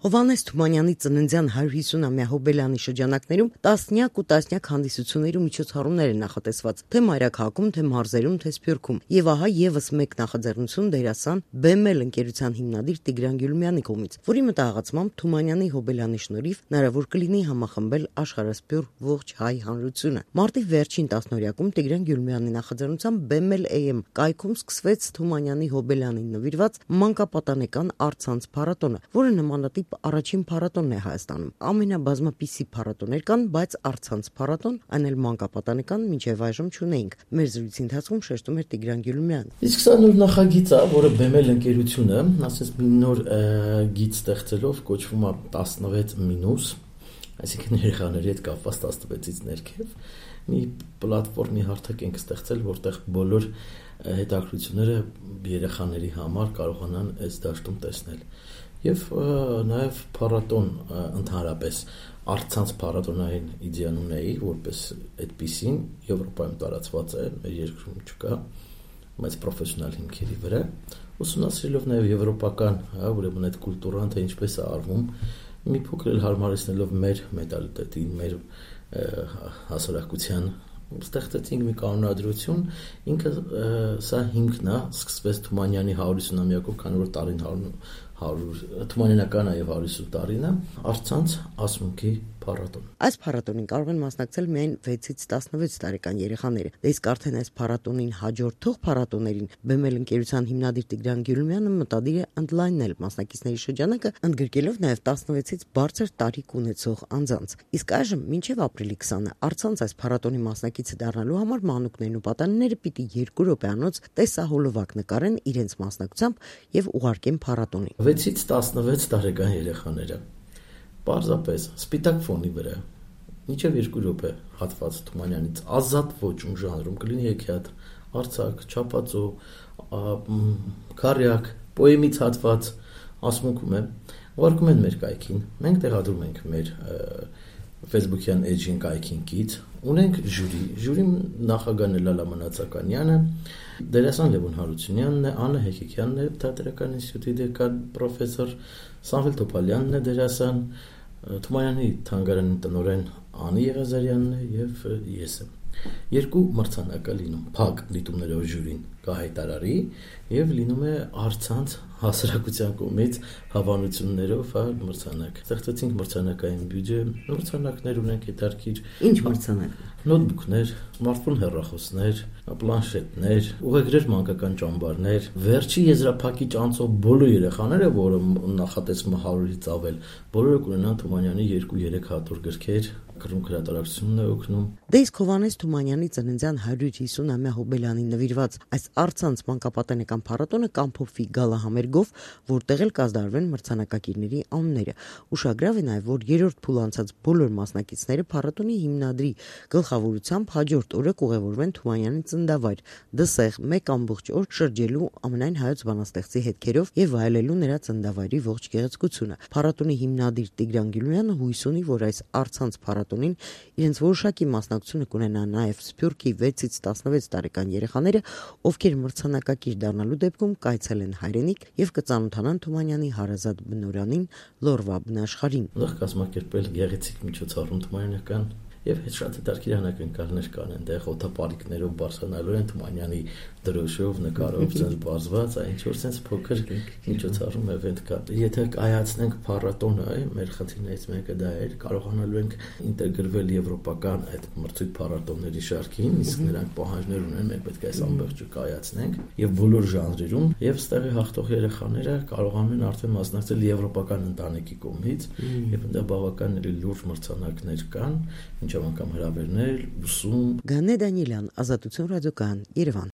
Հովհաննես Թումանյանի ծննդյան 150-ամյա հոբելյանի շրջանակներում տասնյակ ու տասնյակ հանդիսություններ ու միջոցառումներ են նախատեսված թե մայրաքաղաքում, թե մարզերում, թե Սփյուռքում։ Եվ ահա եւս մեկ նախաձեռնություն դերասան BML ընկերության հիմնադիր Տիգրան Գյուլումյանի կողմից, որի մտահղացմամբ Թումանյանի հոբելյանի շնորհիվ հնարավոր կլինի համախմբել աշխարհասփյուռ ողջ հայ հանրությունը։ Մարտի վերջին տասնօրյակում Տիգրան Գյուլումյանի նախաձեռնությամբ BML AM կայքում սկսվեց Թումանյանի հոբելյանին նվիրված մանկապատանեկան առցանց փառատոնը, որը նմանատիպ առաջին փառատոնն է Հայաստանում։ Ամենաբազմապիսի փառատոներ կան, բայց առցանց փառատոն, այն էլ մանկապատանեկան մինչև այժմ չունեինք։ Մեր զրույցի ընթացքում շեշտում էր Տիգրան Գյուլումյանը։ Իսկ սա նոր նախագիծ է, որը BML ընկերությունը, ասես մի նոր գիծ ստեղծելով կոչվում է 16 այսինքն երեխաների հետ կապված 16-ից ներքև մի պլատֆորմի հարթակ ենք ստեղծել, որտեղ բոլոր հետաքրքրությունները երեխաների համար կարողանան այս դաշտում տեսնել։ Եվ նաև փառատոն ընդհանրապես առցանց փառատոնային իդեան ունեի, որպես այդպիսին Եվրոպայում տարածված է, մեր երկրում չկա, բայց պրոֆեսիոնալ հիմքերի վրա, ուսումնասիրելով նաև եվրոպական, ուրեմն այդ կուլտուրան, թե ինչպես է արվում, մի փոքր հարմարեցնելով մեր մենտալիտետին, մեր հասարակության, ստեղծեցինք մի կանոնադրություն, ինքը սա հիմքն է, սկսվեց Թումանյանի 150-ամյակով, քանի որ տարին Թումանյանական է եւ 150 տարին է, առցանց ասմունքի փառատոն։ Այս փառատոնին կարող են մասնակցել միայն 6-ից 16 տարեկան երեխաները։ Դե իսկ արդեն այս փառատոնին հաջորդող փառատոներին BML ընկերության հիմնադիր Տիգրան Գյուլումյանը մտադիր է ընդլայնել մասնակիցների շրջանակը, ընդգրկելով նաև 16-ից բարձր տարիք ունեցող անձանց։ Իսկ այժմ մինչև ապրիլի 20-ը առցանց այս փառատոնի մասնակիցը դառնալու համար մանուկներն ու պատանիները պիտի 2 րոպեանոց տեսահոլովակ նկարեն իրենց մասնակցությամբ եւ ուղարկեն փառատոնին։ 6-ից 16 տարեկան երեխաները պարզապես սպիտակ ֆոնի վրա մինչև 2 րոպե հատված Թումանյանից ազատ ոճում ժանրում կլինի հեքիաթ, արձակ, չափածո, քարյակ, պոեմից հատված ասմունքում է, ուղարկում են մեր կայքին, մենք տեղադրում ենք մեր Facebook-յան էջին կայքին կից, ունենք ժյուրին նախագահն է Լալա Մնացականյանը, դերասան Լևոն Հարությունյանն է, Աննա Հեկիկյանն է, թատերական ինստիտուտի դեկան, պրոֆեսոր Սամվել Թոփալյանն է դերասան, Թումանյանի թանգարանի տնօրեն Անի Եղազարյանն է եւ ես եմ։ 2 մրցանակ է լինում, փակ դիտումներով ժյուրին կհայտարարի եւ լինում է առցանց հասարակության կողմից հավանություններով մրցանակ։ Ստեղծեցինք մրցանակային բյուջե, մրցանակներ ունենք հետարքիր։ Ինչ մրցանակ։ Նոթբուքներ, սմարթֆոն հեռախոսներ, պլանշետներ, ուղեգրեր մանկական ճամբարներ։ Վերջի եզրափակիչ անցող բոլոր երեխաները, որը նախատեսվում է 100-ից ավել, բոլորը կունենան Թումանյանի 2-3 հատոր գրքեր, գրում հրատարակությունն է օգնում։ Դե իսկ Հովհաննես Թումանյանի ծննդյան 150-ամյա հոբելյանին նվիրված այս առցանց մանկապատանեկան փառատոնը կամփոփվի գալահամերգով, որտեղ էլ կազդարվեն մրցանակակիրների անունները։ Ուշագրավ է նաև, որ երրորդ փուլ անցած բոլոր մասնակիցները փառատոնի հիմնադրի գլխավորությամբ հաջորդ օրը կուղևորվեն Թումանյանի ծննդավայր Դսեղ 1 ամբողջ օր շրջելու ամենայն հայոց բանաստեղծի հետքերով եւ վայելելու նրա ծննդավայրի ողջ գեղեցկությունը։ Փառատոնի հիմնադիր Տիգրան Գյուլումյանը հույս ունի, որ այս առցանց փառատոնին իրենց որոշակի մասնակցությունը կունենան նաև Սփյուռքի 6-ից 16 տարեկան երեխաները, ովքեր մրցանակակիր դառնալու դեպքում կայցելեն հայրենիք եւ կծանոթանան Թումանյանի հարազատ բնօրանին Լորվա բնաշխարհին։ Ուղղ կազմակերպել գեղեցիկ միջոցառում Թումանյանական եւ հետ շատ հետաքրքիր անակնկալներ կան այնտեղ օթապարիկներով բարձրանալու են Թումանյանի դրոշով, նկարով ցած բարձված, այն ինչ որ sense փոքր միջոցառում event կա։ Եթե կայացնենք փառատոնը, մեր խնդիրներից մեկը դա էր, կարողանալու ենք ինտեգրվել եվրոպական այդ մրցույթ փառատոնների շարքին, իսկ նրանք պահանջներ ունեն, մենք պետք է այս ամբողջը կայացնենք եւ բոլոր ժանրերում եւ ստեղի հաղթող երեխաները կարողանում են արդեն մասնակցել եվրոպական ընտանիքի կողմից եւ դա բավական լուրջ մրցանակներ կան, ինչ անգամ հրավերներ, ուսում։ Գանե Դանիելյան, Ազատություն ռադիոկայան, Երևան։